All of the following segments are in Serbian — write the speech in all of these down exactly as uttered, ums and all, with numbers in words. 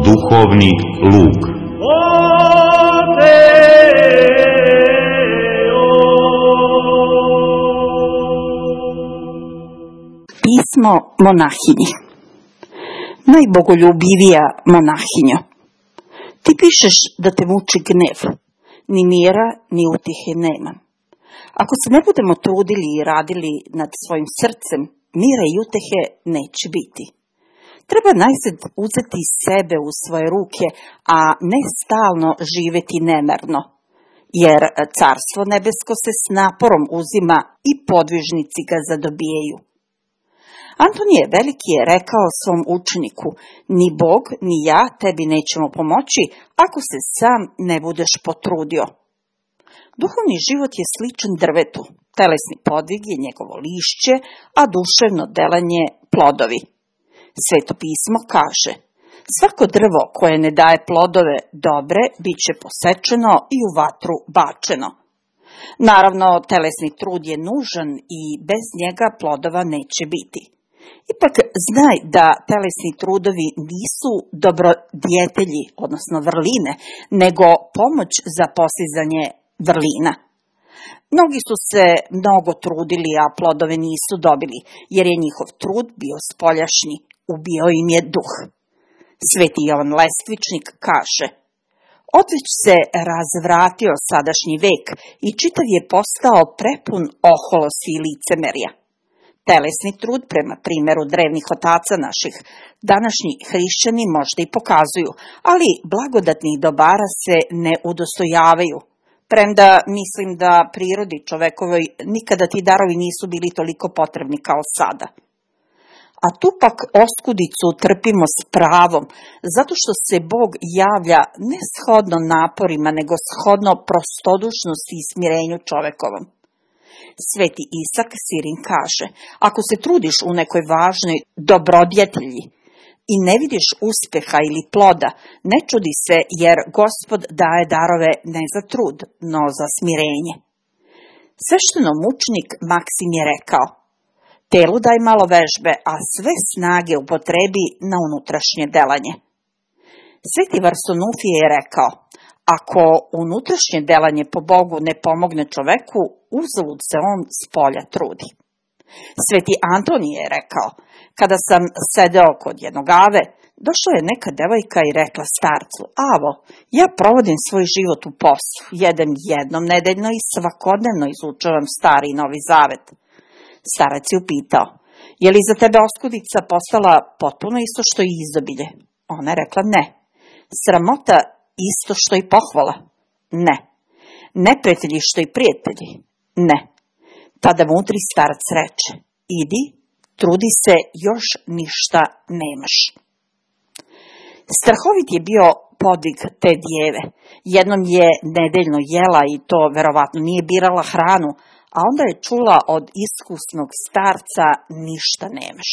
duhovni luk. Pismo monahinji. Najbogoljubivija monahinjo, ti pišeš da te muči gnev, ni mira, ni utihe nema. Ako se ne budemo trudili i radili nad svojim srcem, mira i utehe neće biti. Treba najzad uzeti sebe u svoje ruke, a ne stalno živjeti nemerno, jer carstvo nebesko se s naporom uzima i podvižnici ga zadobijaju. Antonije Veliki je rekao svom učeniku: ni Bog, ni ja tebi nećemo pomoći ako se sam ne budeš potrudio. Duhovni život je sličan drvetu, telesni podvig je njegovo lišće, a duševno delanje plodovi. Sveto pismo kaže: svako drvo koje ne daje plodove dobre, bit će posečeno i u vatru bačeno. Naravno, telesni trud je nužan i bez njega plodova neće biti. Ipak znaj da telesni trudovi nisu dobrodjetelji, odnosno vrline, nego pomoć za postizanje vrlina. Mnogi su se mnogo trudili, a plodove nisu dobili, jer je njihov trud bio spoljašnji, ubio im je duh. Sveti Jovan Lestvičnik kaže: odveć se razvratio sadašnji vek i čitav je postao prepun oholosti i licemerja. Telesni trud, prema primjeru drevnih otaca naših, današnji hrišćani možda i pokazuju, ali blagodatnih dobara se ne udostojavaju. Premda mislim da prirodi čovekovoj nikada ti darovi nisu bili toliko potrebni kao sada. A tu pak oskudicu trpimo s pravom, zato što se Bog javlja ne shodno naporima, nego shodno prostodušnosti i smirenju čovekovom. Sveti Isak Sirin kaže: ako se trudiš u nekoj važnoj dobrodjetelji i ne vidiš uspjeha ili ploda, ne čudi se, jer Gospod daje darove ne za trud, no za smirenje. Sveštenomučnik Maksim je rekao: telu daj malo vežbe, a sve snage upotrebi na unutrašnje delanje. Sveti Varsanufije je rekao: ako unutrašnje delanje po Bogu ne pomogne čoveku, uzalud se on s polja trudi. Sveti Antonije je rekao: kada sam sedeo kod jednog ave, došla je neka devojka i rekla starcu: avo, ja provodim svoj život u postu, jedem jednom nedeljno i svakodnevno izučavam stari i novi zavet. Starac je upitao: je li za tebe oskudica postala potpuno isto što i izdobilje? Ona je rekla: ne. Sramota isto što i pohvala? Ne. Neprijatelji što i prijatelji? Ne. Tada mudri starac reče: idi, trudi se, još ništa nemaš. Strahovit je bio podvig te djeve. Jednom je nedeljno jela i to verovatno nije birala hranu, a onda je čula od iskusnog starca: ništa nemaš.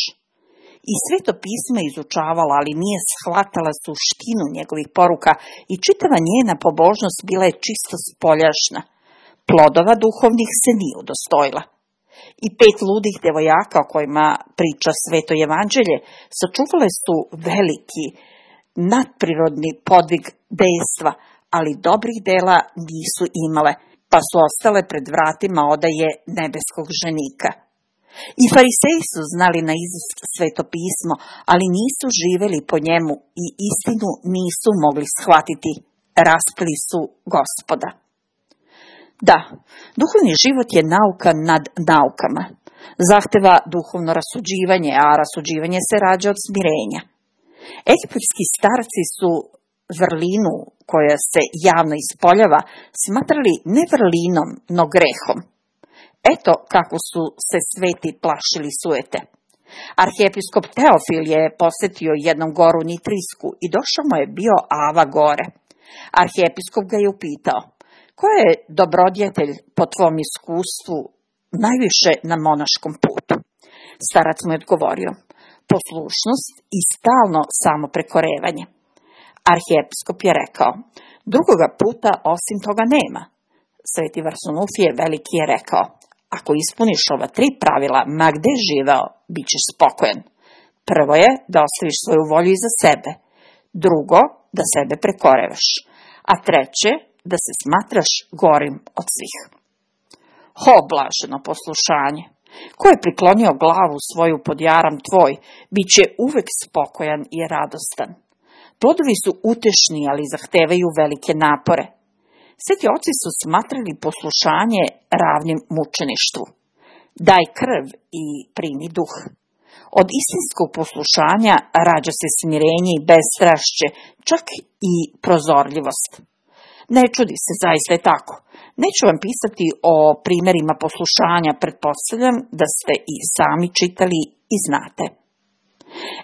I Sveto pismo izučavala, ali nije shvatala suštinu njegovih poruka i čitava njena pobožnost bila je čisto spoljašna. Plodova duhovnih se nije udostojila. I pet ludih devojaka o kojima priča Sveto evanđelje sačuvale su veliki, nadprirodni podvig dejstva, ali dobrih dela nisu imale, pa su ostale pred vratima odaje nebeskog ženika. I fariseji su znali na izust Sveto pismo, ali nisu živeli po njemu i istinu nisu mogli shvatiti. Raspili su Gospoda. Da, duhovni život je nauka nad naukama. Zahteva duhovno rasuđivanje, a rasuđivanje se rađa od smirenja. Egipatski starci su vrlinu koja se javno ispoljava smatrali ne vrlinom, no grehom. Eto kako su se sveti plašili sujete. Arhijepiskop Teofil je posjetio jednom goru Nitrijsku i došao mu je bio Ava gore. Arhijepiskop ga je upitao: ko je dobrodjetelj po tvom iskustvu najviše na monaškom putu? Starac mu je odgovorio: poslušnost i stalno samoprekorevanje. Arhijepiskop je rekao: drugoga puta osim toga nema. Sveti Varsanufije Veliki je rekao: ako ispuniš ova tri pravila, ma gde živeo, bit ćeš spokojan. Prvo je da ostaviš svoju volju iza sebe. drugo, da sebe prekorevaš, a treće, da se smatraš gorim od svih. Ho, blaženo poslušanje! Ko je priklonio glavu svoju pod jaram tvoj, bit će uvek spokojan i radostan. Plodovi su utešni, ali zahtevaju velike napore. Sveti oci su smatrali poslušanje ravnim mučeništvu. Daj krv i primi duh. Od istinskog poslušanja rađa se smirenje i bezstrašće, čak i prozorljivost. Ne čudi se, zaista je tako. Neću vam pisati o primjerima poslušanja, pretpostavljam da ste i sami čitali i znate.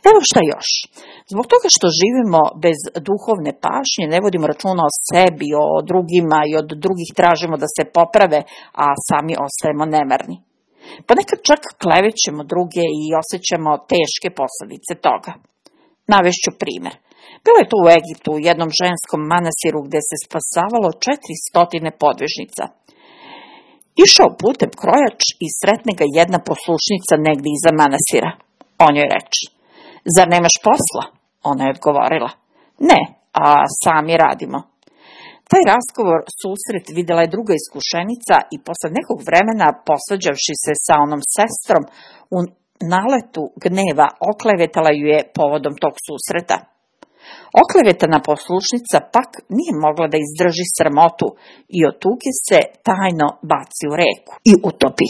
Evo šta još. Zbog toga što živimo bez duhovne pažnje, ne vodimo računa o sebi, o drugima i od drugih tražimo da se poprave, a sami ostajemo nemarni. Ponekad čak klevećemo druge i osjećamo teške posljedice toga. Navešću primjer. Bilo je to u Egiptu, u jednom ženskom manasiru gdje se spasavalo četiristo podvižnica. Išao putem krojač i sretne ga jedna poslušnica negdje iza manasira. On joj reče: "Zar nemaš posla?" Ona je odgovorila: "Ne, a sami radimo." Taj razgovor, susret, vidjela je druga iskušenica i posle nekog vremena, posvađavši se sa onom sestrom, u naletu gneva oklevetala ju je povodom tog susreta. Oklevetana poslušnica pak nije mogla da izdrži sramotu i od tuge se tajno baci u reku i utopi.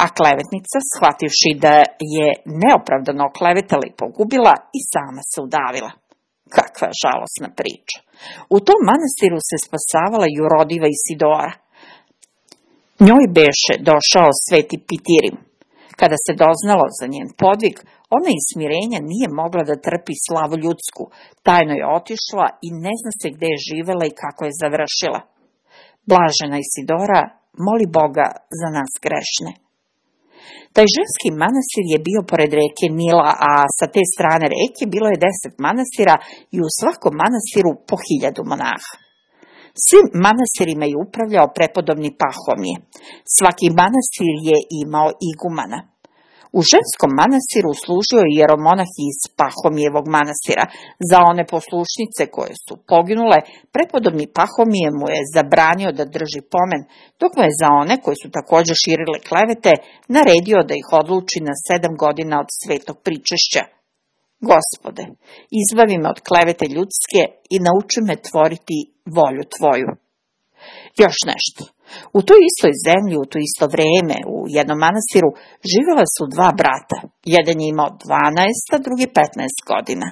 A klevetnica, shvativši da je neopravdano oklevetala i pogubila, i sama se udavila. Kakva žalosna priča. U tom manasiru se spasavala Jurodiva Isidora. Njoj beše došao sveti Pitirim. Kada se doznalo za njen podvig, ona iz smirenja nije mogla da trpi slavu ljudsku, tajno je otišla i ne zna se gde je živela i kako je završila. Blažena Isidora, moli Boga za nas grešne. Taj ženski manastir je bio pored reke Nila, a sa te strane reke bilo je deset manastira i u svakom manastiru po hiljadu monaha. Svim manastirima je upravljao prepodobni Pahomije. Svaki manastir je imao igumana. U ženskom manastiru služio je jeromonah iz Pahomijevog manastira. Za one poslušnice koje su poginule, prepodobni Pahomije mu je zabranio da drži pomen, dok mu je za one koje su također širile klevete naredio da ih odluči na sedam godina od svetog pričešća. Gospode, izbavi me od klevete ljudske i nauči me tvoriti volju tvoju. Još nešto. U toj istoj zemlji, u to isto vreme, u jednom manastiru, živjela su dva brata. Jedan je imao dvanaest, a drugi petnaest godina.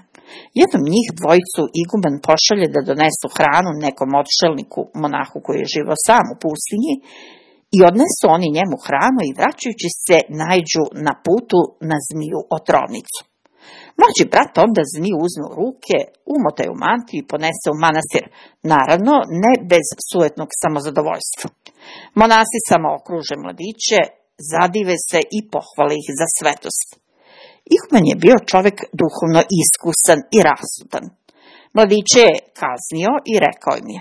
Jednom njih dvojicu iguman pošalje da donesu hranu nekom odšelniku, monahu koji je živao sam u pustinji, i odnesu oni njemu hranu i vraćajući se naiđu na putu na zmiju otrovnicu. Mlađi brat onda zmiju uzme u ruke, umota je u mantiju i ponese u manastir, naravno ne bez sujetnog samozadovoljstva. Monasi samo okruže mladiće, zadive se i pohvale ih za svetost. Iguman je bio čovjek duhovno iskusan i rasutan. Mladiće je kaznio i rekao im je: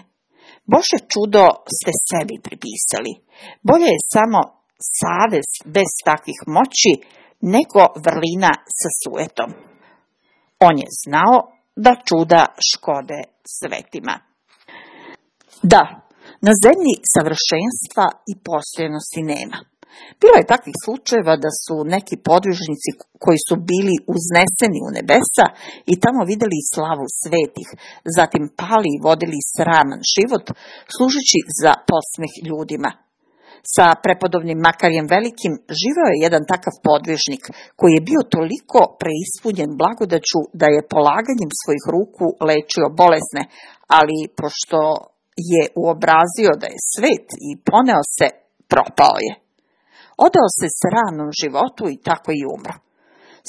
"Bože čudo ste sebi pripisali. Bolje je samo savest bez takvih moći nego vrlina sa sujetom." On je znao da čuda škode svetima. Da, na zemlji savršenstva i postojanosti nema. Bilo je takvih slučajeva da su neki podvižnici koji su bili uzneseni u nebesa i tamo vidjeli slavu svetih, zatim pali i vodili sraman život, služeći za posmeh ljudima. Sa prepodobnim Makarijem Velikim živeo je jedan takav podvižnik koji je bio toliko preispunjen blagodaću da je polaganjem svojih ruku lečio bolesne, ali pošto je uobrazio da je svet i poneo se, propao je. Odao se sramnom životu i tako i umro.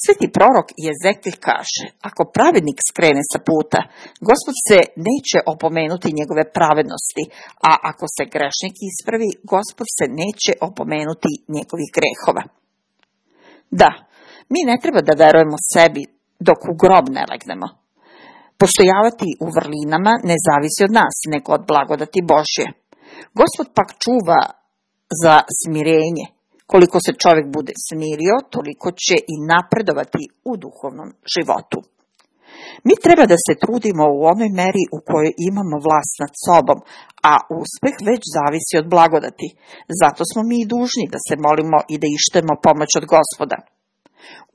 Sveti prorok Jezekil kaže: "Ako pravednik skrene sa puta, Gospod se neće opomenuti njegove pravednosti, a ako se grešnik ispravi, Gospod se neće opomenuti njegovih grehova." Da, mi ne treba da verujemo sebi dok u grob ne legnemo. Postojavati u vrlinama ne zavisi od nas, nego od blagodati Božje. Gospod pak čuva za smirenje. Koliko se čovjek bude smirio, toliko će i napredovati u duhovnom životu. Mi treba da se trudimo u onoj meri u kojoj imamo vlast nad sobom, a uspeh već zavisi od blagodati. Zato smo mi i dužni da se molimo i da ištemo pomoć od Gospoda.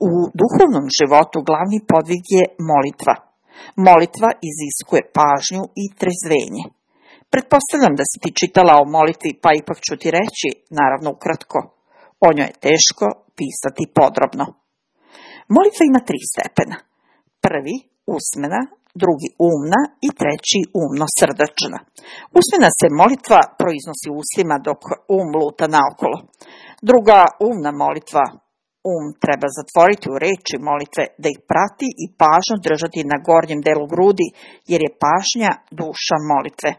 U duhovnom životu glavni podvig je molitva. Molitva iziskuje pažnju i trezvenje. Pretpostavljam da si ti čitala o molitvi, pa ipak ću ti reći, naravno ukratko. O njoj je teško pisati podrobno. Molitva ima tri stepena. Prvi, usmena, drugi umna i treći umno-srdačna. Usmena se molitva proiznosi ustima dok um luta naokolo. Druga, umna molitva, um treba zatvoriti u reči molitve, da ih prati i pažnju držati na gornjem delu grudi, jer je pažnja duša molitve.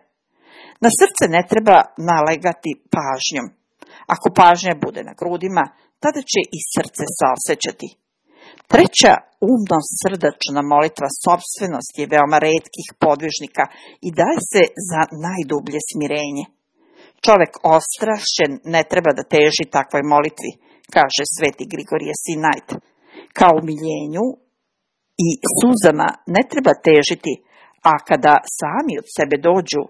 Na srce ne treba nalegati pažnjom. Ako pažnja bude na grudima, tada će i srce saosećati. Treća, umno-srdačna molitva, sopstvenost je veoma retkih podvižnika i daje se za najdublje smirenje. Čovek ostrašćen ne treba da teži takvoj molitvi, kaže sveti Grigorije Sinajt. Kao umiljenju i suzama ne treba težiti, a kada sami od sebe dođu,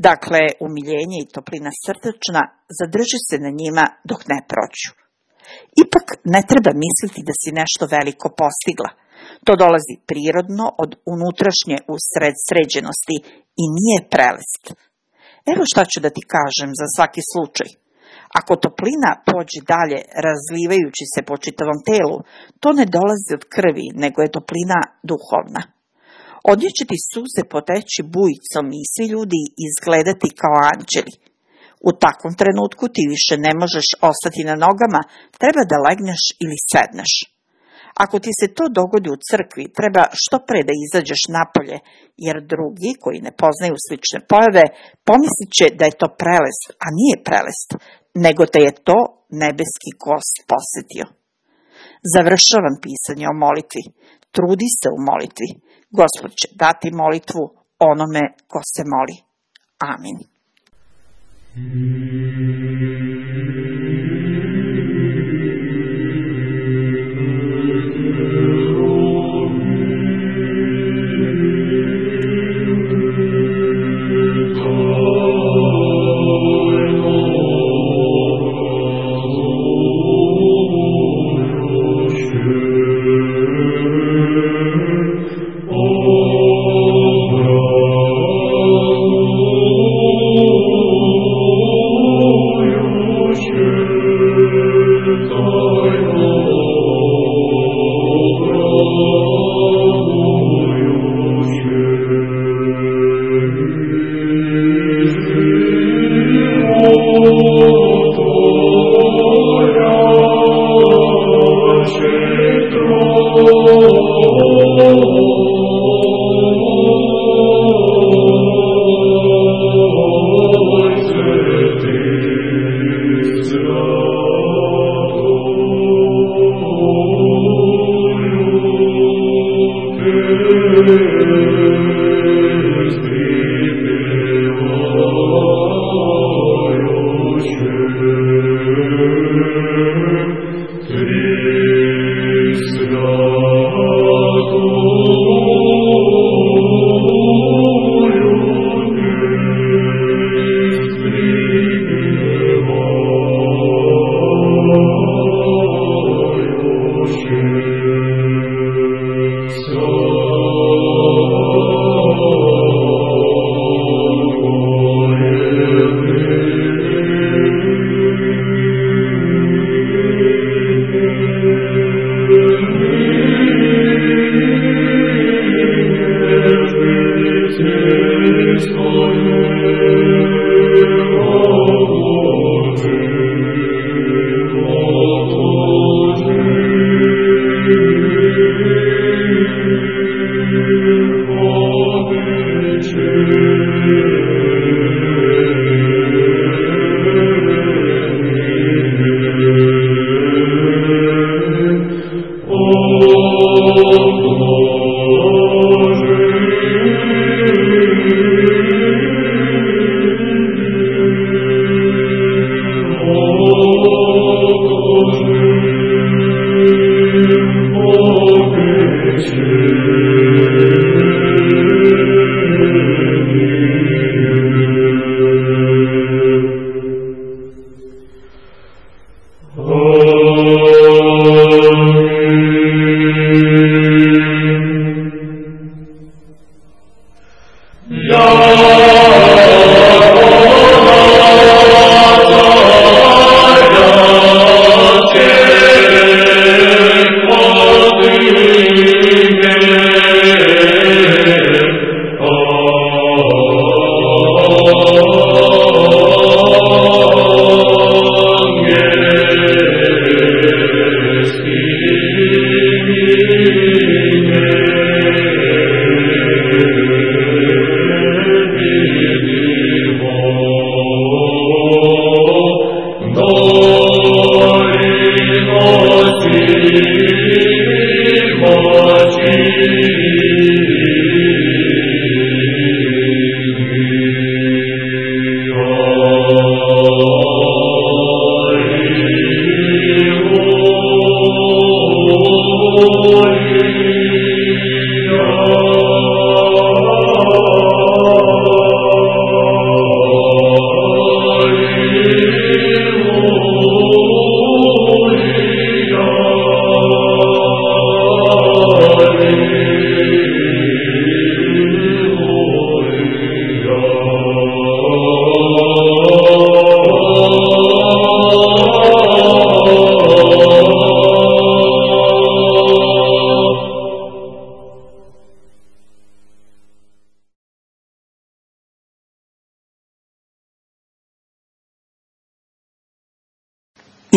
dakle umiljenje i toplina srdačna, zadrži se na njima dok ne prođu. Ipak ne treba misliti da si nešto veliko postigla. To dolazi prirodno od unutrašnje usred sređenosti i nije prelest. Evo šta ću da ti kažem za svaki slučaj. Ako toplina pođe dalje razlivajući se po čitavom telu, to ne dolazi od krvi, nego je toplina duhovna. Od nje će ti suze poteći bujicom i svi ljudi izgledati kao anđeli. U takvom trenutku ti više ne možeš ostati na nogama, treba da legneš ili sedneš. Ako ti se to dogodi u crkvi, treba što pre da izađeš napolje, jer drugi koji ne poznaju slične pojave pomislit će da je to prelest, a nije prelest, nego te je to nebeski gost posetio. Završavam pisanje o molitvi. Trudi se u molitvi. Gospod će dati molitvu onome ko se moli. Amin. Oh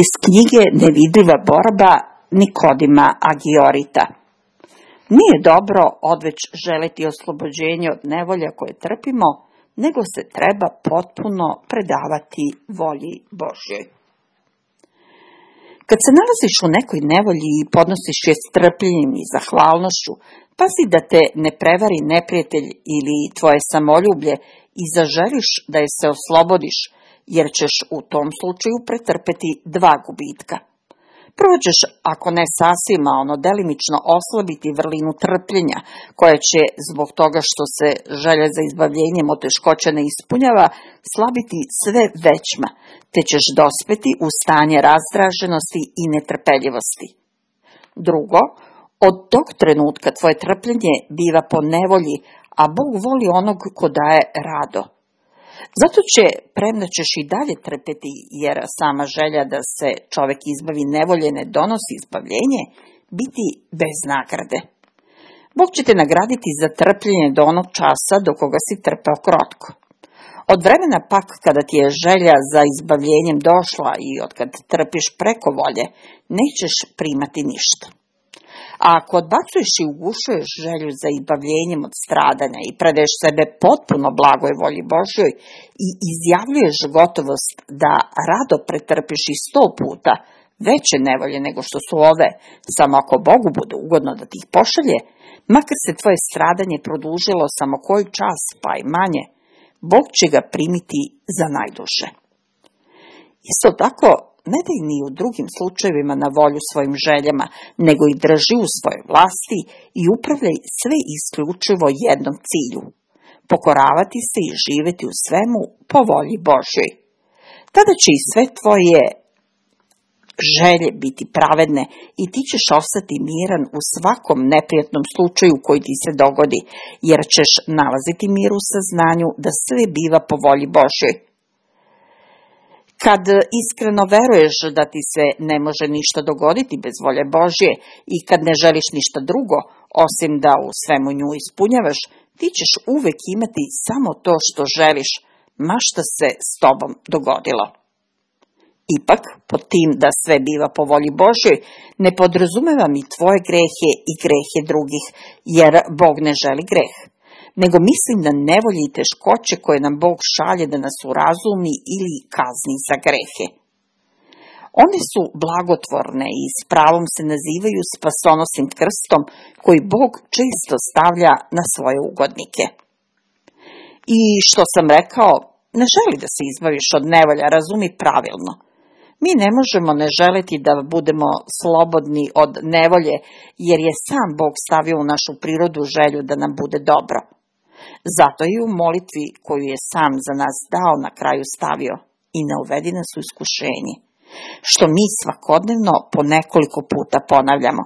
Iz knjige Nevidljiva borba Nikodima Agiorita. Nije dobro odveć želeti oslobođenje od nevolja koje trpimo, nego se treba potpuno predavati volji Božjoj. Kad se nalaziš u nekoj nevolji i podnosiš je strpljenjem i zahvalnošću, pazi da te ne prevari neprijatelj ili tvoje samoljublje i zaželiš da je se oslobodiš, jer ćeš u tom slučaju pretrpeti dva gubitka. Prvo ćeš, ako ne sasvim, a ono delimično oslabiti vrlinu trpljenja, koja će, zbog toga što se želja za izbavljenjem od teškoća ne ispunjava, slabiti sve većma, te ćeš dospeti u stanje razdraženosti i netrpeljivosti. Drugo, od tog trenutka tvoje trpljenje biva po nevolji, a Bog voli onog ko daje rado. Zato će, premda ćeš i dalje trpeti, jer sama želja da se čovek izbavi nevolje ne donosi izbavljenje, biti bez nagrade. Bog će te nagraditi za trpljenje do onog časa do koga si trpeo krotko. Od vremena pak kada ti je želja za izbavljenjem došla i od kad trpiš preko volje, nećeš primati ništa. A ako odbacuješ i ugušuješ želju za izbavljenjem od stradanja i predaješ sebe potpuno blagoj volji Božjoj i izjavljuješ gotovost da rado pretrpiš i sto puta veće nevolje nego što su ove, samo ako Bogu bude ugodno da ti ih pošalje, makar se tvoje stradanje produžilo samo koji čas pa i manje, Bog će ga primiti za najduže. Isto tako, ne daj ni u drugim slučajevima na volju svojim željama, nego i drži u svojoj vlasti i upravljaj sve isključivo jednom cilju, pokoravati se i živjeti u svemu po volji Božjoj. Tada će i sve tvoje želje biti pravedne i ti ćeš ostati miran u svakom neprijatnom slučaju koji ti se dogodi, jer ćeš nalaziti mir u saznanju da sve biva po volji Božjoj. Kad iskreno veruješ da ti se ne može ništa dogoditi bez volje Božje i kad ne želiš ništa drugo, osim da u svemu nju ispunjavaš, ti ćeš uvek imati samo to što želiš, ma šta se s tobom dogodilo. Ipak, pod tim da sve biva po volji Božjoj, ne podrazumevam i tvoje grehe i grehe drugih, jer Bog ne želi greh, nego mislim na nevolje i teškoće koje nam Bog šalje da nas urazumi ili kazni za grehe. One su blagotvorne i s pravom se nazivaju spasonosnim krstom koji Bog često stavlja na svoje ugodnike. I što sam rekao, ne želi da se izbaviš od nevolja, razumi pravilno. Mi ne možemo ne želiti da budemo slobodni od nevolje, jer je sam Bog stavio u našu prirodu želju da nam bude dobro. Zato i u molitvi koju je sam za nas dao na kraju stavio i ne uvedi nas u iskušenje, što mi svakodnevno po nekoliko puta ponavljamo.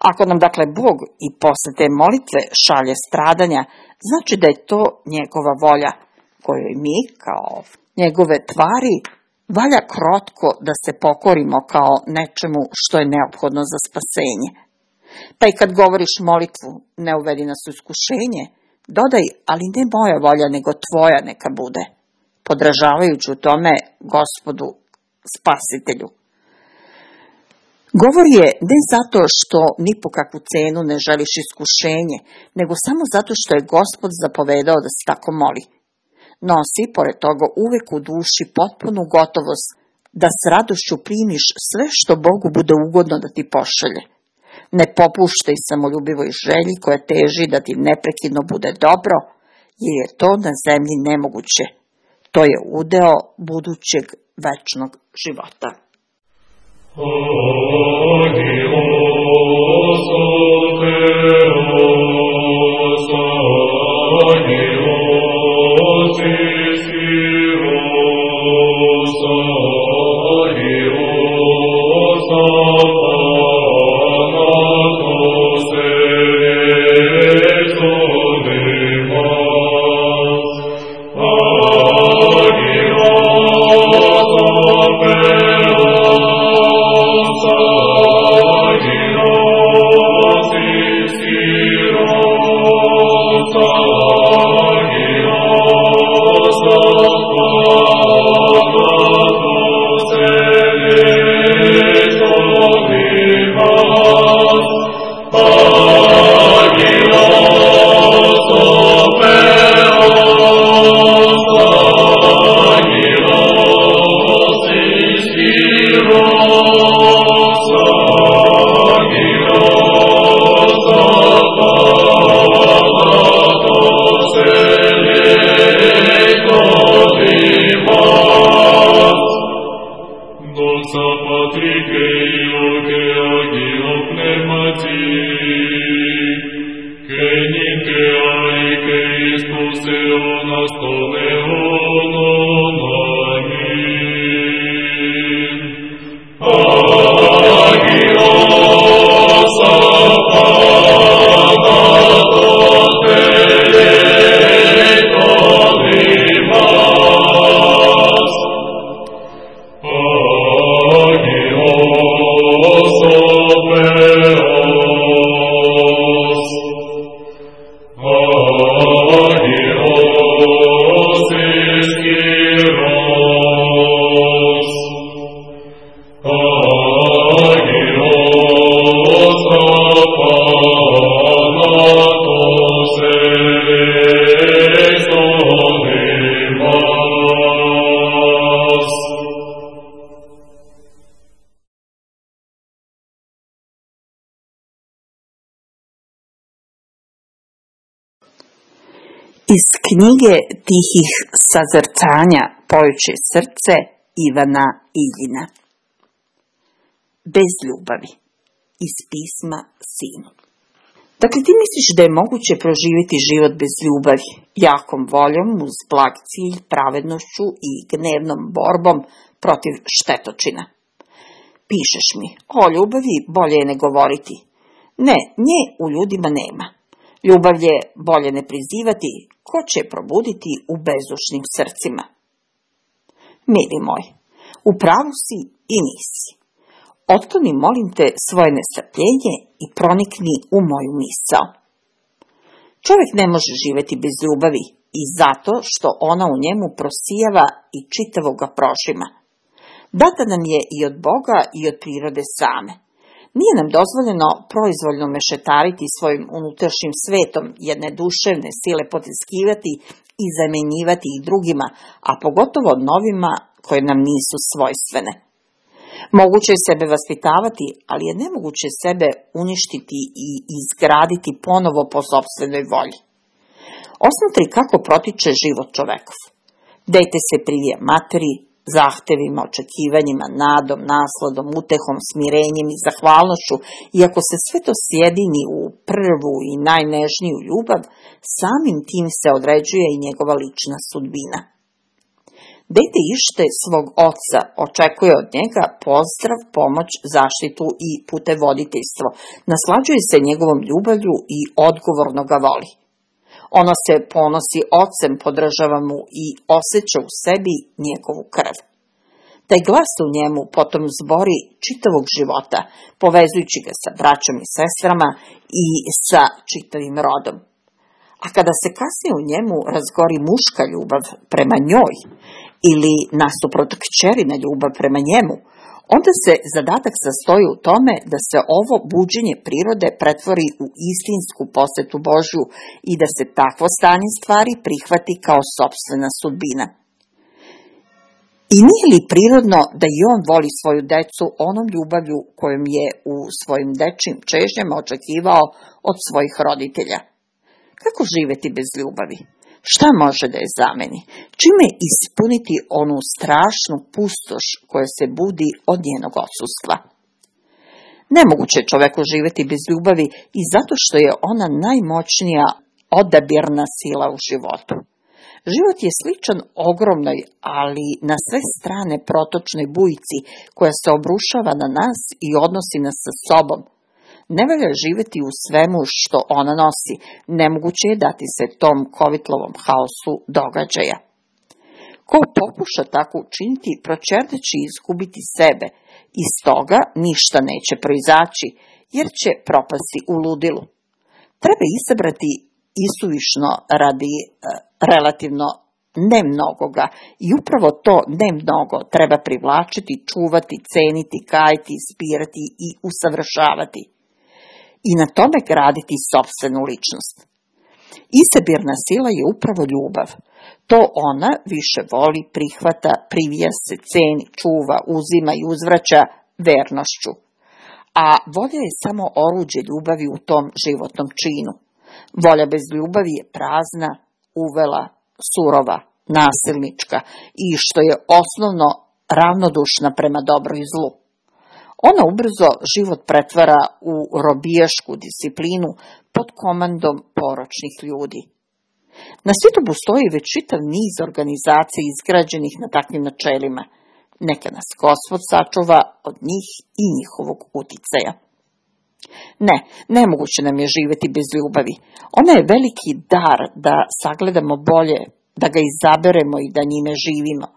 Ako nam dakle Bog i posle te molitve šalje stradanja, znači da je to njegova volja, kojoj mi, kao njegove tvari, valja krotko da se pokorimo kao nečemu što je neophodno za spasenje. Pa i kad govoriš molitvu, ne uvedi nas u iskušenje, dodaj, ali ne moja volja, nego tvoja neka bude, podražavajući u tome Gospodu Spasitelju. Govor je ne zato što ni po kakvu cenu ne želiš iskušenje, nego samo zato što je Gospod zapovedao da se tako moli. Nosi, pored toga, uvek u duši potpunu gotovost da s radošću primiš sve što Bogu bude ugodno da ti pošalje. Ne popuštaj samoljubivoj želji koja teži da ti neprekidno bude dobro, jer je to na zemlji nemoguće. To je udeo budućeg večnog života. Amen. Filio che agio pneumati, che ninte ai Christus eonas tone onon, amin. Agios apanatos delectorimas, agios operos, agios esquiros, agios apanatos electorimas. Iz knjige Tihih sazrcanja Pojuće srce Ivana Iljina. Bez ljubavi. Iz pisma Sinu. Dakle, ti misliš da je moguće proživjeti život bez ljubavi, jakom voljom uz blag cilj, pravednošću i gnevnom borbom protiv štetočina. Pišeš mi, o ljubavi bolje je ne govoriti. Ne, nje u ljudima nema. Ljubav je bolje ne prizivati, ko će probuditi u bezdušnim srcima. Mili moj, u pravu si i nisi. Otkloni, molim te, svoje nestrpljenje i pronikni u moju misao. Čovjek ne može živjeti bez ljubavi i zato što ona u njemu prosijava i čitavo ga prožima. Data nam je i od Boga i od prirode same. Nije nam dozvoljeno proizvoljno mešetariti svojim unutrašnjim svetom, jedne duševne sile potiskivati i zamjenjivati ih drugima, a pogotovo novima koje nam nisu svojstvene. Moguće je sebe vaspitavati, ali je nemoguće sebe uništiti i izgraditi ponovo po sopstvenoj volji. Osmotri kako protiče život čovekov. Dete se privija materi, zahtevima, očekivanjima, nadom, nasladom, utehom, smirenjem i zahvalnošću, i ako se sve to sjedini u prvu i najnežniju ljubav, samim tim se određuje i njegova lična sudbina. Dete ište svog oca očekuje od njega pozdrav, pomoć, zaštitu i putevoditeljstvo, naslađuje se njegovom ljubavlju i odgovorno ga voli. Ono se ponosi ocem, podržava mu i osjeća u sebi njegovu krv. Taj glas u njemu potom zbori čitavog života, povezujući ga sa braćom i sestrama i sa čitavim rodom. A kada se kasnije u njemu razgori muška ljubav prema njoj ili nasuprot kćerina ljubav prema njemu, onda se zadatak sastoji u tome da se ovo buđenje prirode pretvori u istinsku posvetu Božju i da se takvo stanje stvari prihvati kao sopstvena sudbina. I nije li prirodno da i on voli svoju decu onom ljubavlju kojom je u svojim dečjim čežnjama očekivao od svojih roditelja? Kako živjeti bez ljubavi? Šta može da je zameni? Čime ispuniti onu strašnu pustoš koja se budi od njenog odsustva? Nemoguće je čoveku živjeti bez ljubavi i zato što je ona najmoćnija odabirna sila u životu. Život je sličan ogromnoj, ali na sve strane protočnoj bujici koja se obrušava na nas i odnosi nas sa sobom. Ne valja živjeti u svemu što ona nosi, nemoguće je dati se tom kovitlovom haosu događaja. Ko pokuša tako učiniti, proćerdeći izgubiti sebe, iz toga ništa neće proizaći, jer će propasti u ludilu. Treba izabrati isuvišno radi e, relativno ne mnogoga i upravo to ne mnogo treba privlačiti, čuvati, ceniti, kajiti, ispirati i usavršavati. I na tome graditi sopstvenu ličnost. Isabirna sila je upravo ljubav. To ona više voli, prihvata, privija se, ceni, čuva, uzima i uzvraća vernošću. A volja je samo oruđe ljubavi u tom životnom činu. Volja bez ljubavi je prazna, uvela, surova, nasilnička i, što je osnovno, ravnodušna prema dobru i zlu. Ona ubrzo život pretvara u robijašku disciplinu pod komandom poročnih ljudi. Na svijetu postoji već čitav niz organizacija izgrađenih na takvim načelima. Neka nas Gospod sačuva od njih i njihovog uticaja. Ne, nemoguće nam je živjeti bez ljubavi. Ona je veliki dar da sagledamo bolje, da ga izaberemo i da njime živimo.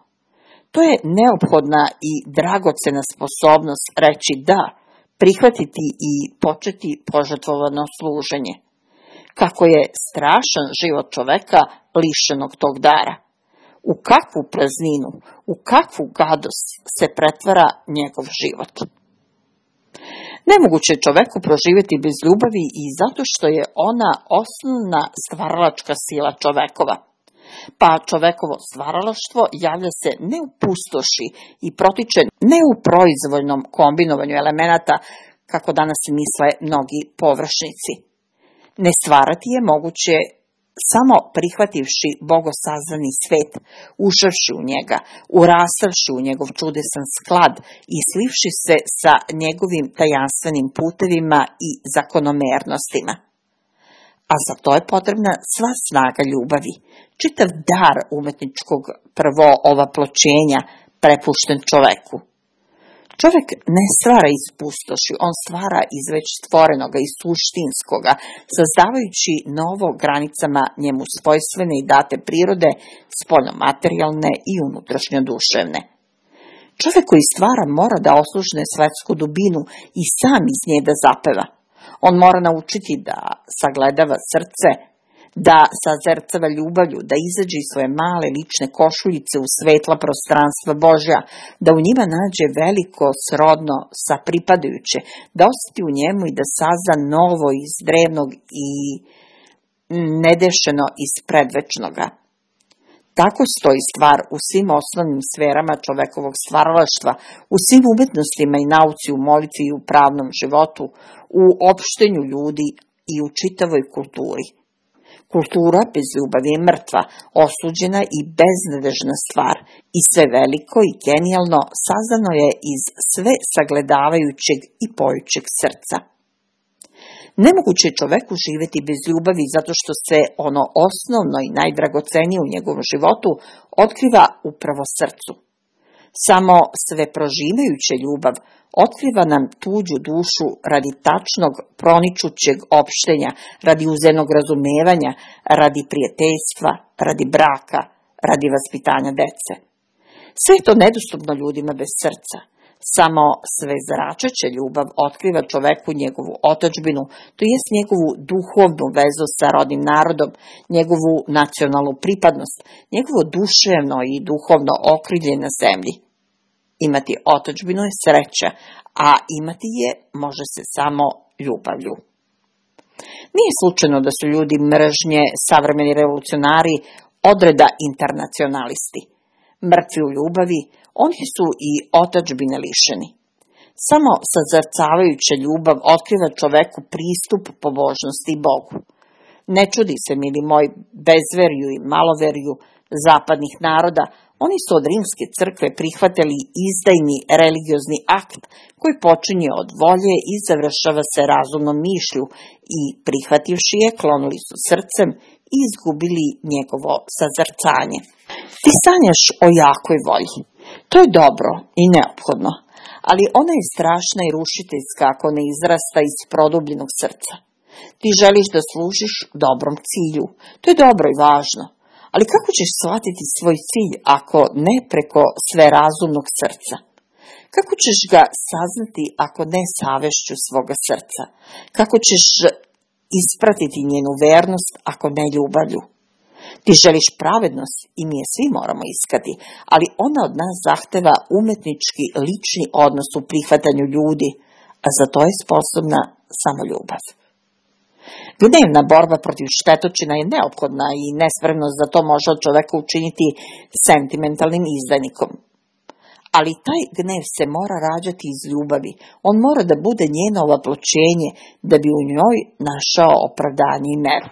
To je neophodna i dragocena sposobnost reći da, prihvatiti i početi požrtvovano služenje. Kako je strašan život čoveka lišenog tog dara. U kakvu prazninu, u kakvu gadost se pretvara njegov život. Nemoguće je čoveku proživjeti bez ljubavi i zato što je ona osnovna stvaralačka sila čovekova. Pa čovekovo stvaralaštvo javlja se ne u pustoši i protiče ne u proizvoljnom kombinovanju elemenata, kako danas misle mnogi površnici. Ne stvarati je moguće samo prihvativši bogosazdani svet, ušavši u njega, urastavši u njegov čudesan sklad i slivši se sa njegovim tajanstvenim putevima i zakonomernostima. A za to je potrebna sva snaga ljubavi, čitav dar umetničkog prvo ovaploćenja prepušten čoveku. Čovek ne stvara iz pustoši, on stvara iz već stvorenoga i suštinskoga, sazdavajući novo granicama njemu svojstvene i date prirode, spoljno-materijalne i unutrašnjo-duševne. Čovek koji stvara mora da oslušne svetsku dubinu i sam iz nje da zapeva. On mora naučiti da sagledava srce, da sazercava ljubavlju, da izađe iz svoje male lične košuljice u svetla prostranstva Božja, da u njima nađe veliko srodno sa pripadajuće, da osjeti u njemu i da sazda novo iz drevnog i nedešeno iz predvečnoga. Tako stoji stvar u svim osnovnim sferama čovekovog stvaralaštva, u svim umetnostima i nauci, u molitvi i u pravnom životu, u opštenju ljudi i u čitavoj kulturi. Kultura bez ljubavi je mrtva, osuđena i beznadežna stvar i sve veliko i genijalno sazdano je iz sve sagledavajućeg i pojućeg srca. Nemoguće je čoveku živjeti bez ljubavi zato što se ono osnovno i najdragocenije u njegovom životu otkriva upravo srcu. Samo sve prožimajuća ljubav otkriva nam tuđu dušu radi tačnog proničućeg opštenja, radi uzemnog razumevanja, radi prijateljstva, radi braka, radi vaspitanja dece. Sve je to nedostupno ljudima bez srca. Samo sve zračeća ljubav otkriva čoveku njegovu otadžbinu, to jest njegovu duhovnu vezu sa rodnim narodom, njegovu nacionalnu pripadnost, njegovo duševno i duhovno okrilje na zemlji. Imati otadžbinu je sreća, a imati je može se samo ljubavlju. Nije slučajno da su ljudi mržnje, savremeni revolucionari, odreda internacionalisti. Mrtvi u ljubavi, oni su i otadžbine lišeni. Samo sazrcavajuća ljubav otkriva čoveku pristup pobožnosti i Bogu. Ne čudi se, mili moj, bezverju i maloverju zapadnih naroda, oni su od rimske crkve prihvatili izdajni religiozni akt koji počinje od volje i završava se razumnom mišlju i prihvativši je klonuli su srcem i izgubili njegovo sazrcanje. Ti sanjaš o jakoj volji. To je dobro i neophodno, ali ona je strašna i rušiteljska ako ne izrasta iz produbljenog srca. Ti želiš da služiš dobrom cilju. To je dobro i važno. Ali kako ćeš shvatiti svoj cilj ako ne preko sverazumnog srca? Kako ćeš ga saznati ako ne savešću svoga srca? Kako ćeš ispratiti njenu vernost ako ne ljubavlju? Ti želiš pravednost i mi je svi moramo iskati, ali ona od nas zahteva umetnički lični odnos u prihvatanju ljudi, a za to je sposobna samo ljubav. Gnevna borba protiv štetočina je neophodna i nespremnost da to može od čoveka učiniti sentimentalnim izdajnikom. Ali taj gnev se mora rađati iz ljubavi, on mora da bude njeno ovaploćenje da bi u njoj našao opravdanje i meru.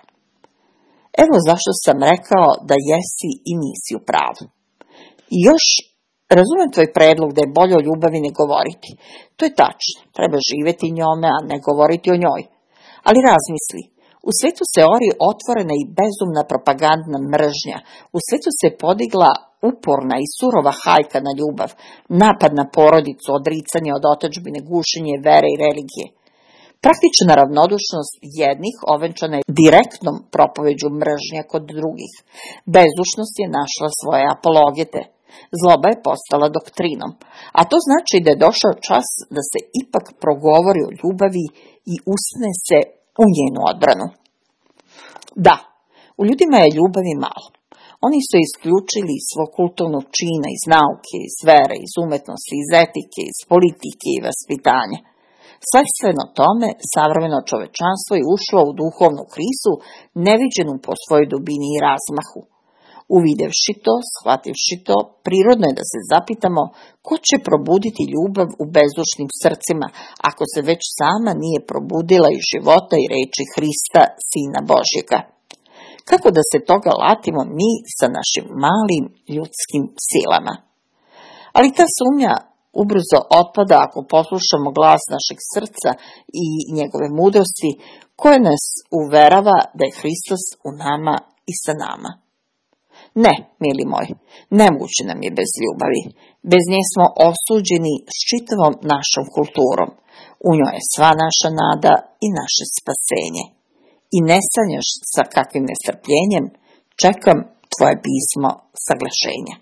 Evo zašto sam rekao da jesi i nisi u pravu. I još Razumem tvoj predlog da je bolje o ljubavi ne govoriti. To je tačno, treba živjeti njome, a ne govoriti o njoj. Ali razmisli, u svetu se ori otvorena i bezumna propagandna mržnja, u svetu se podigla uporna i surova hajka na ljubav, napad na porodicu, odricanje od otadžbine, gušenje vere i religije. Praktična ravnodušnost jednih ovenčana je direktnom propoveđu mržnja kod drugih. Bezdušnost je našla svoje apologete. Zloba je postala doktrinom, a to znači da je došao čas da se ipak progovori o ljubavi i usne se u njenu odbranu. Da, u ljudima je ljubavi malo. Oni su isključili svog kulturnog čina iz nauke, iz vere, iz umetnosti, iz etike, iz politike i vaspitanja. Sledstveno tome, savremeno čovečanstvo je ušlo u duhovnu krizu, neviđenu po svojoj dubini i razmahu. Uvidevši to, shvativši to, prirodno je da se zapitamo ko će probuditi ljubav u bezdušnim srcima, ako se već sama nije probudila iz života i reči Hrista, Sina Božjega. Kako da se toga latimo mi sa našim malim ljudskim silama? Ali ta sumnja ubrzo otpada ako poslušamo glas našeg srca i njegove mudrosti, koje nas uverava da je Hristos u nama i sa nama. Ne, mili moji, nemoguće nam je bez ljubavi. Bez nje smo osuđeni s čitavom našom kulturom. U njoj je sva naša nada i naše spasenje. I ne sanjaš sa kakvim nestrpljenjem, čekam tvoje pismo saglašenja.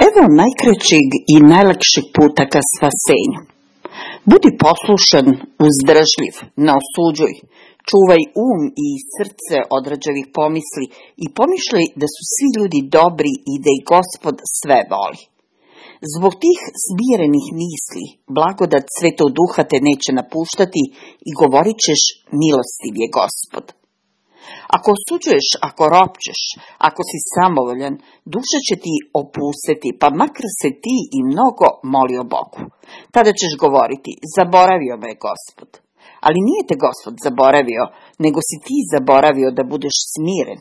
Evo najkraćeg i najlakšeg puta ka spasenju. Budi poslušan, uzdržljiv, ne osuđuj, čuvaj um i srce od rđavih pomisli i pomišljaj da su svi ljudi dobri i da ih Gospod sve voli. Zbog tih smirenih misli, blagodat Svetog Duha te neće napuštati i govorit ćeš milostiv je Gospod. Ako osuđuješ, ako ropčeš, ako si samovoljan, duša će ti opustiti, pa makar se ti i mnogo molio Bogu. Tada ćeš govoriti, zaboravio me je Gospod. Ali nije te Gospod zaboravio, nego si ti zaboravio da budeš smiren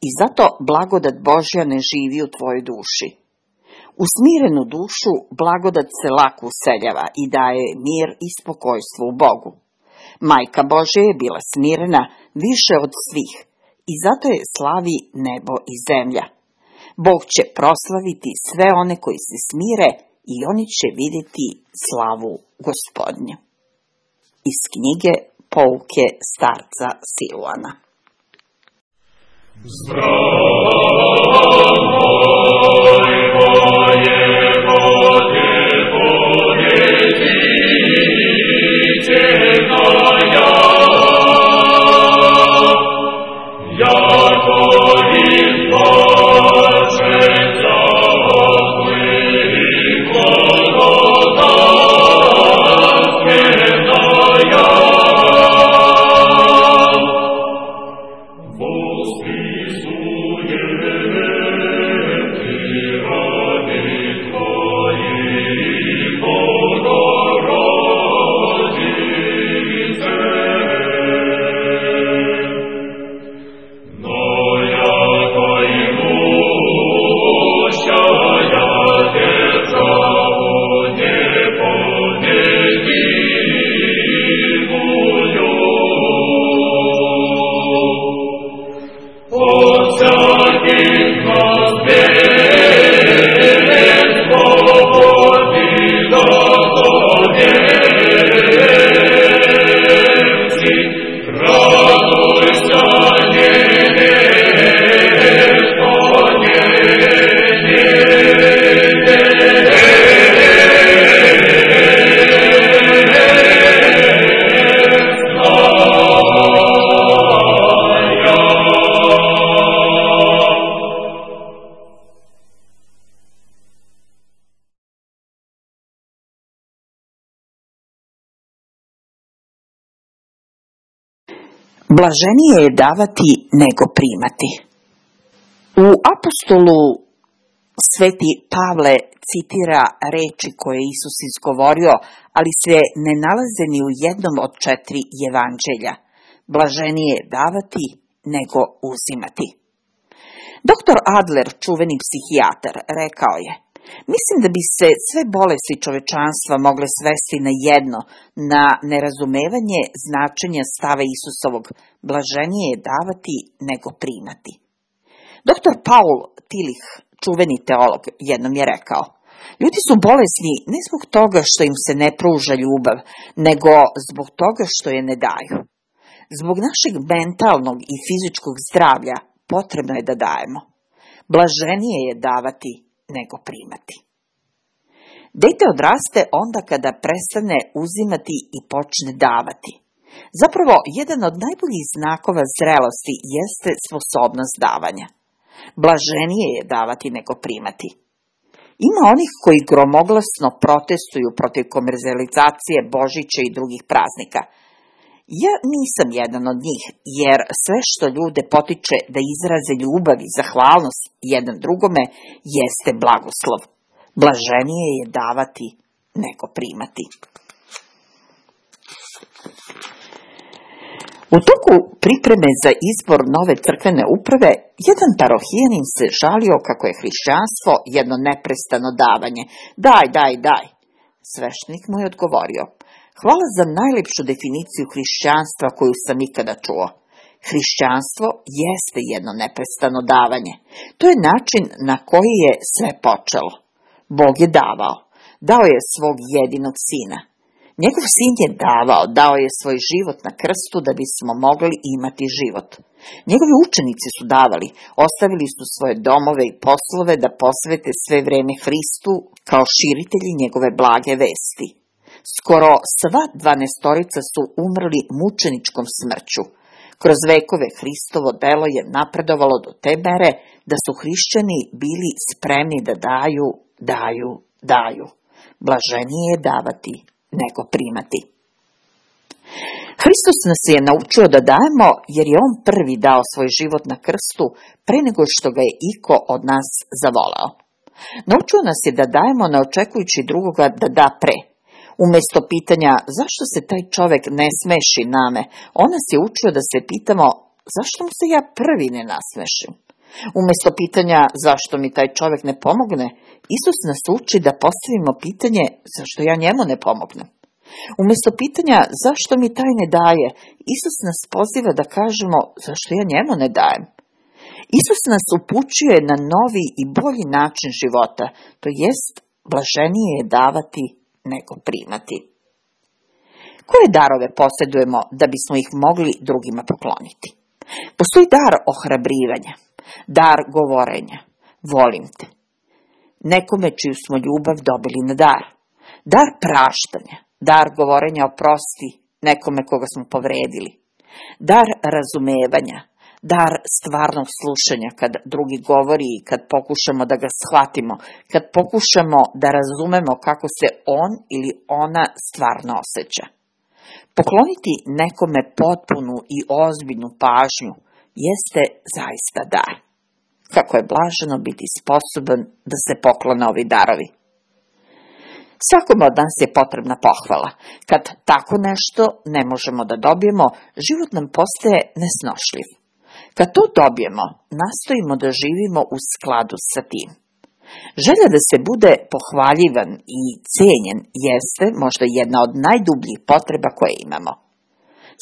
i zato blagodat Božja ne živi u tvojoj duši. U smirenu dušu blagodat se lako useljava i daje mir i spokojstvo u Bogu. Majka Božja je bila smirena više od svih i zato je slavi nebo i zemlja. Bog će proslaviti sve one koji se smire i oni će vidjeti slavu Gospodnju. Iz knjige Pouke starca Siluana. Blaženije je davati nego primati. U apostolu Sveti Pavle citira reči koje je Isus izgovorio, ali se ne nalaze ni u jednom od četiri evanđelja. Blaženije je davati nego uzimati. Doktor Adler, čuveni psihijatar, rekao je: mislim da bi se sve bolesti čovečanstva mogle svesti na jedno, na nerazumevanje značenja stava Isusovog, blaženije je davati nego primati. Doktor Paul Tillich, čuveni teolog, jednom je rekao: ljudi su bolesni ne zbog toga što im se ne pruža ljubav, nego zbog toga što je ne daju. Zbog našeg mentalnog i fizičkog zdravlja potrebno je da dajemo. Blaženije je davati nego primati. Dete odraste onda kada prestane uzimati i počne davati. Zapravo, jedan od najboljih znakova zrelosti jeste sposobnost davanja. Blaženije je davati nego primati. Ima onih koji gromoglasno protestuju protiv komercijalizacije Božića i drugih praznika. Ja nisam jedan od njih, jer sve što ljude potiče da izraze ljubav i zahvalnost jedan drugome jeste blagoslov. Blaženije je davati nego primati. U toku pripreme za izbor nove crkvene uprave, jedan parohijanin se žalio kako je hrišćanstvo jedno neprestano davanje. Daj, daj, daj. Sveštenik mu je odgovorio: hvala za najlepšu definiciju hrišćanstva koju sam ikada čuo. Hrišćanstvo jeste jedno neprestano davanje. To je način na koji je sve počelo. Bog je davao. Dao je svog jedinog sina. Njegov sin je davao, dao je svoj život na krstu da bismo mogli imati život. Njegovi učenici su davali, ostavili su svoje domove i poslove da posvete sve vreme Hristu kao širitelji njegove blage vesti. Skoro sva dvanaestorica su umrli mučeničkom smrću. Kroz vekove Hristovo delo je napredovalo do te mere da su hrišćani bili spremni da daju, daju, daju. Blaženije je davati nego primati. Hristos nas je naučio da dajemo jer je on prvi dao svoj život na krstu pre nego što ga je iko od nas zavolao. Naučio nas je da dajemo ne očekujući drugoga da da pre. Umjesto pitanja zašto se taj čovjek ne smeši name, on nas je učio da se pitamo zašto mu se ja prvi ne nasmešim. Umjesto pitanja zašto mi taj čovjek ne pomogne, Isus nas uči da postavimo pitanje zašto ja njemu ne pomognem. Umjesto pitanja zašto mi taj ne daje, Isus nas poziva da kažemo zašto ja njemu ne dajem. Isus nas upućuje na novi i bolji način života, to jest blaženije je davati nego primati. Koje darove posjedujemo da bismo ih mogli drugima pokloniti? Postoji dar ohrabrivanja, dar govorenja, volim te. Nekome čiju smo ljubav dobili na dar. Dar praštanja, dar govorenja oprosti nekome koga smo povredili. Dar razumevanja, dar stvarnog slušanja kad drugi govori i kad pokušamo da ga shvatimo, kad pokušamo da razumemo kako se on ili ona stvarno osjeća. Pokloniti nekome potpunu i ozbiljnu pažnju jeste zaista dar. Kako je blaženo biti sposoban da se poklone ovi darovi. Svakome od nas je potrebna pohvala. Kad tako nešto ne možemo da dobijemo, život nam postaje nesnošljiv. Kad to dobijemo, nastojimo da živimo u skladu sa tim. Želja da se bude pohvaljivan i cijenjen jeste možda jedna od najdubljih potreba koje imamo.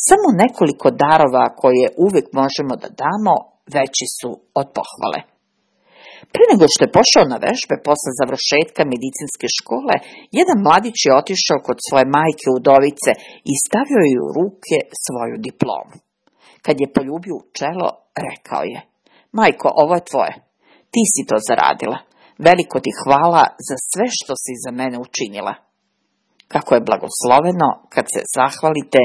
Samo nekoliko darova koje uvijek možemo da damo veći su od pohvale. Prije nego što je pošao na vežbe posle završetka medicinske škole, jedan mladić je otišao kod svoje majke udovice i stavio joj u ruke svoju diplomu. Kad je poljubio u čelo, rekao je: majko, ovo je tvoje. Ti si to zaradila. Veliko ti hvala za sve što si za mene učinila. Kako je blagosloveno kad se zahvalite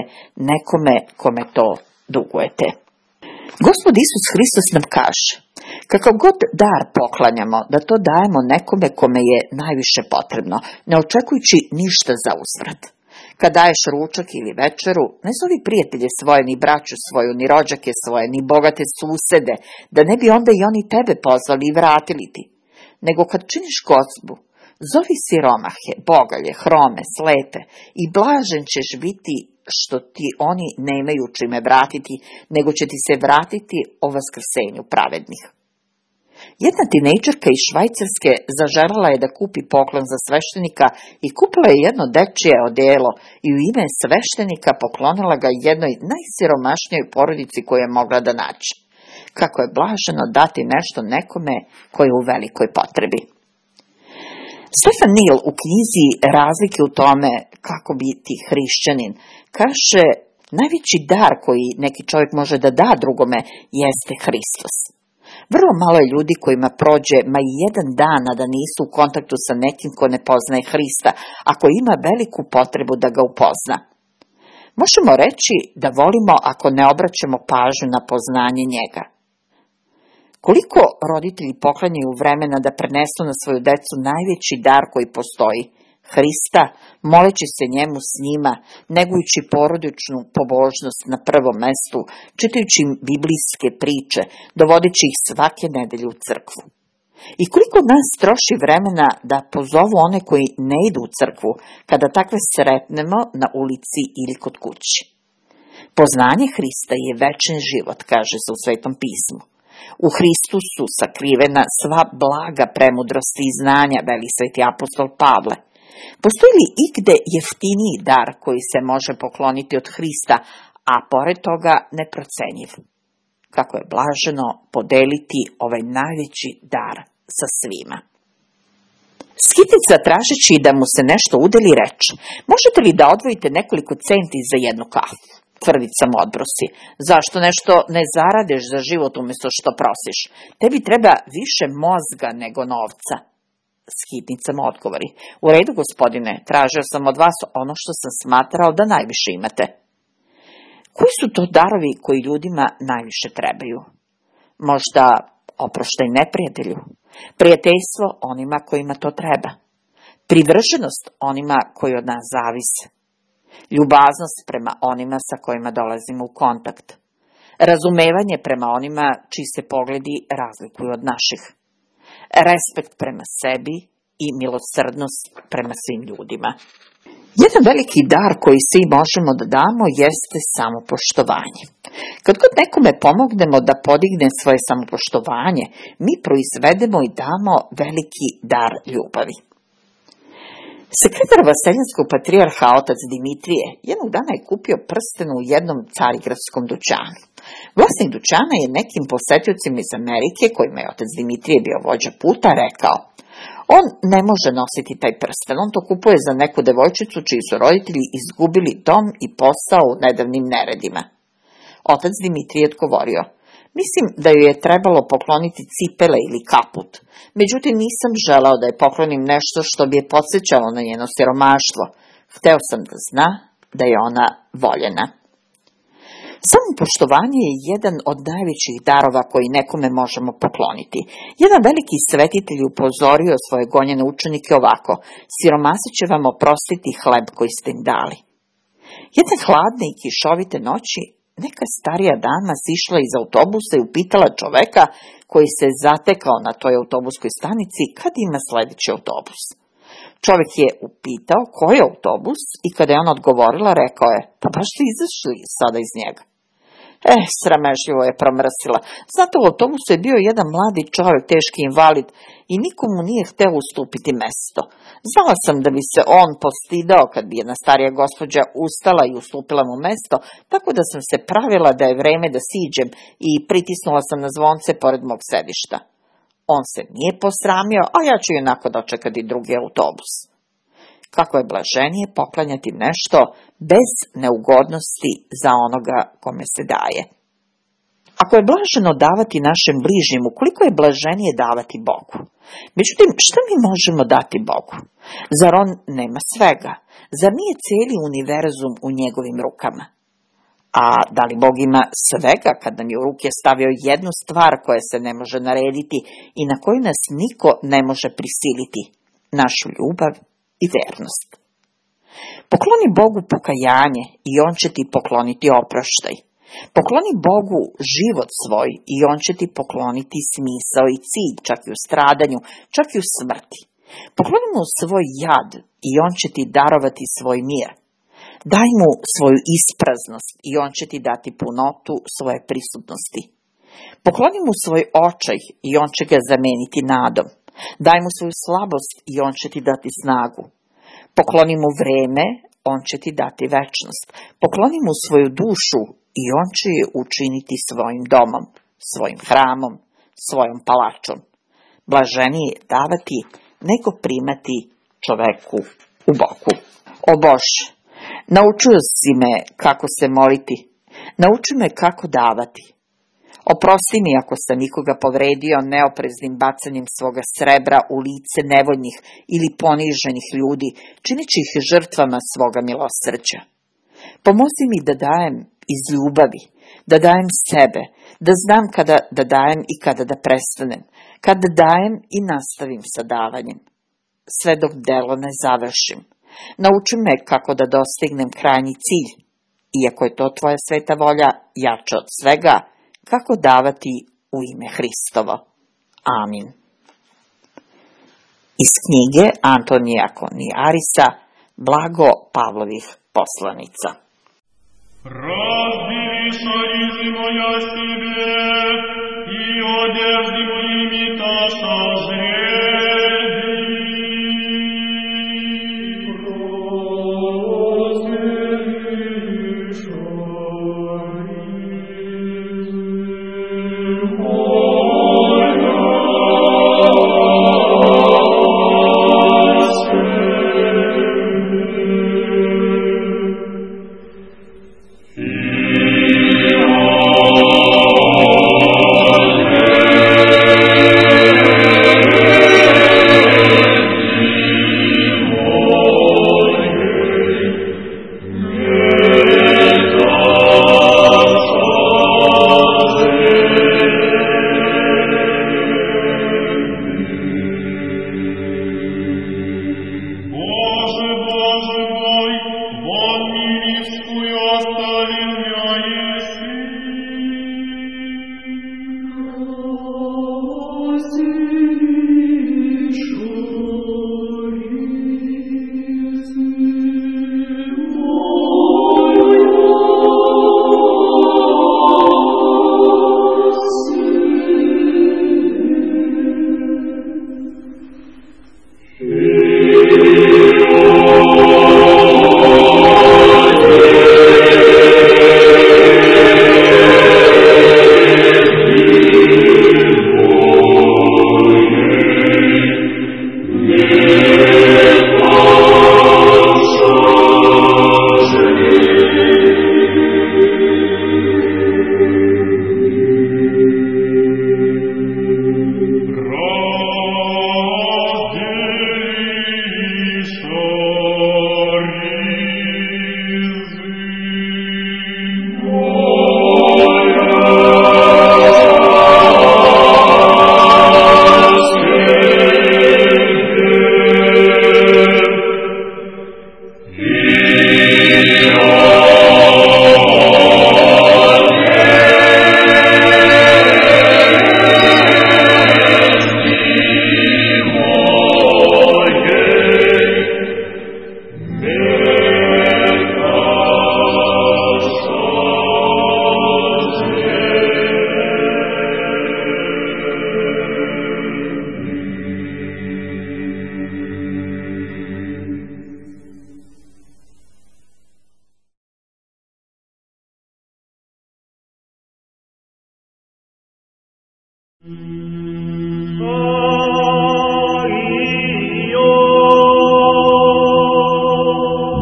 nekome kome to dugujete. Gospod Isus Hristos nam kaže: kakav god dar poklanjamo, da to dajemo nekome kome je najviše potrebno, ne očekujući ništa za uzvrat. Kad daješ ručak ili večeru, ne zovi prijatelje svoje, ni braću svoju, ni rođake svoje, ni bogate susede, da ne bi onda i oni tebe pozvali i vratili ti. Nego kad činiš gozbu, zovi siromahe, bogalje, hrome, slepe i blažen ćeš biti što ti oni nemaju čime vratiti, nego će ti se vratiti o vaskrsenju pravednih. Jedna tinejdžerka iz Švajcarske zaželjela je da kupi poklon za sveštenika i kupila je jedno dečije odelo i u ime sveštenika poklonila ga jednoj najsiromašnijoj porodici koju je mogla da nađe. Kako je blaženo dati nešto nekome koji je u velikoj potrebi. Stefan Neill u knjizi Razlike u tome kako biti hrišćanin kaže: najveći dar koji neki čovjek može da da drugome jeste Hristos. Vrlo malo je ljudi kojima prođe ma i jedan dan a da nisu u kontaktu sa nekim ko ne poznaje Hrista, ako ima veliku potrebu da ga upozna. Možemo reći da volimo ako ne obraćamo pažnju na poznanje njega. Koliko roditelji poklanjaju vremena da prenesu na svoju decu najveći dar koji postoji, Hrista, moleći se njemu s njima, negujući porodičnu pobožnost na prvom mestu, čitajući im biblijske priče, dovodeći ih svake nedelje u crkvu. I koliko nas troši vremena da pozovu one koji ne idu u crkvu, kada takve sretnemo na ulici ili kod kući. Poznanje Hrista je večni život, kaže se u Svetom pismu. U Hristu su sakrivena sva blaga premudrosti i znanja, veli sveti apostol Pavle. Postoji li igde jeftiniji dar koji se može pokloniti od Hrista, a pored toga neprocenjiv? Kako je blaženo podeliti ovaj najveći dar sa svima. Skitica, tražeći da mu se nešto udeli, reče: možete li da odvojite nekoliko centi za jednu kafu? Tvrdica mu odbrosi: zašto nešto ne zaradeš za život umjesto što prosiš? Tebi treba više mozga nego novca. Skitnica mu odgovori: u redu, gospodine, tražio sam od vas ono što sam smatrao da najviše imate. Koji su to darovi koji ljudima najviše trebaju? Možda oproštaj neprijatelju, prijateljstvo onima kojima to treba, privrženost onima koji od nas zavise, ljubaznost prema onima sa kojima dolazimo u kontakt, razumevanje prema onima čiji se pogledi razlikuju od naših, respekt prema sebi i milosrdnost prema svim ljudima. Jedan veliki dar koji svi možemo da damo jeste samopoštovanje. Kad god nekome pomognemo da podigne svoje samopoštovanje, mi proizvedemo i damo veliki dar ljubavi. Sekretar Vaseljenskog patrijarha otac Dimitrije jednog dana je kupio prsten u jednom carigradskom dućanu. Vlasnik dućana je nekim posetiocima iz Amerike, kojima je otac Dimitrije bio vođa puta, rekao: on ne može nositi taj prsten, on to kupuje za neku devojčicu čiji su roditelji izgubili dom i posao u nedavnim neredima. Otac Dimitrije je odgovorio: mislim da joj je trebalo pokloniti cipele ili kaput, međutim nisam želeo da je poklonim nešto što bi je podsjećalo na njeno siromaštvo. Hteo sam da zna da je ona voljena. Samopoštovanje je jedan od najvećih darova koji nekome možemo pokloniti. Jedan veliki svetitelj upozorio svoje gonjene učenike ovako: siromasi će vam oprostiti hleb koji ste im dali. Jedne hladne i kišovite noći neka starija dama sišla iz autobusa i upitala čoveka koji se zatekao na toj autobuskoj stanici kad ima sledeći autobus. Čovek je upitao koji je autobus i kada je ona odgovorila, rekao je: pa baš ste izašli sada iz njega. Eh, sramežljivo je promrsila. Znate, u autobusu je bio jedan mladi čovjek, teški invalid, i nikomu nije hteo ustupiti mesto. Znala sam da bi se on postidao kad bi jedna starija gospođa ustala i ustupila mu mesto, tako da sam se pravila da je vreme da siđem i pritisnula sam na zvonce pored mog sedišta. On se nije posramio, a ja ću onako dočekati drugi autobus. Kako je blaženije poklanjati nešto bez neugodnosti za onoga kome se daje. Ako je blaženo davati našem bližnjemu, koliko je blaženije davati Bogu? Međutim, šta mi možemo dati Bogu? Zar on nema svega? Zar nije cijeli univerzum u njegovim rukama? A da li Bog ima svega kad nam je u ruke stavio jednu stvar koja se ne može narediti i na koju nas niko ne može prisiliti? Našu ljubav i vernost. Pokloni Bogu pokajanje i on će ti pokloniti oproštaj. Pokloni Bogu život svoj i on će ti pokloniti smisao i cilj, čak i u stradanju, čak i u smrti. Pokloni mu svoj jad i on će ti darovati svoj mir. Daj mu svoju ispraznost i on će ti dati punotu svoje prisutnosti. Pokloni mu svoj očaj i on će ga zameniti nadom. Daj mu svoju slabost i on će ti dati snagu. Pokloni mu vreme, on će ti dati večnost. Pokloni mu svoju dušu i on će je učiniti svojim domom, svojim hramom, svojom palačom. Blaženije je davati nego primati čoveku u boku. O Bože, naučio si me kako se moliti, nauči me kako davati. Oprosti mi ako sam nikoga povredio neopreznim bacanjem svoga srebra u lice nevoljnih ili poniženih ljudi, čineći ih žrtvama svoga milosrđa. Pomozi mi da dajem iz ljubavi, da dajem sebe, da znam kada da dajem i kada da prestanem, kada dajem i nastavim sa davanjem, sve dok delo ne završim. Nauči me kako da dostignem krajnji cilj, iako je to tvoja sveta volja jača od svega, kako davati u ime Hristovo. Amin. Iz knjige Antonija Koniarisa, Blago Pavlovih poslanica. Razbi шаризимо я себе, и одеждимо имиташа жреди.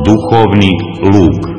Duhovni luk.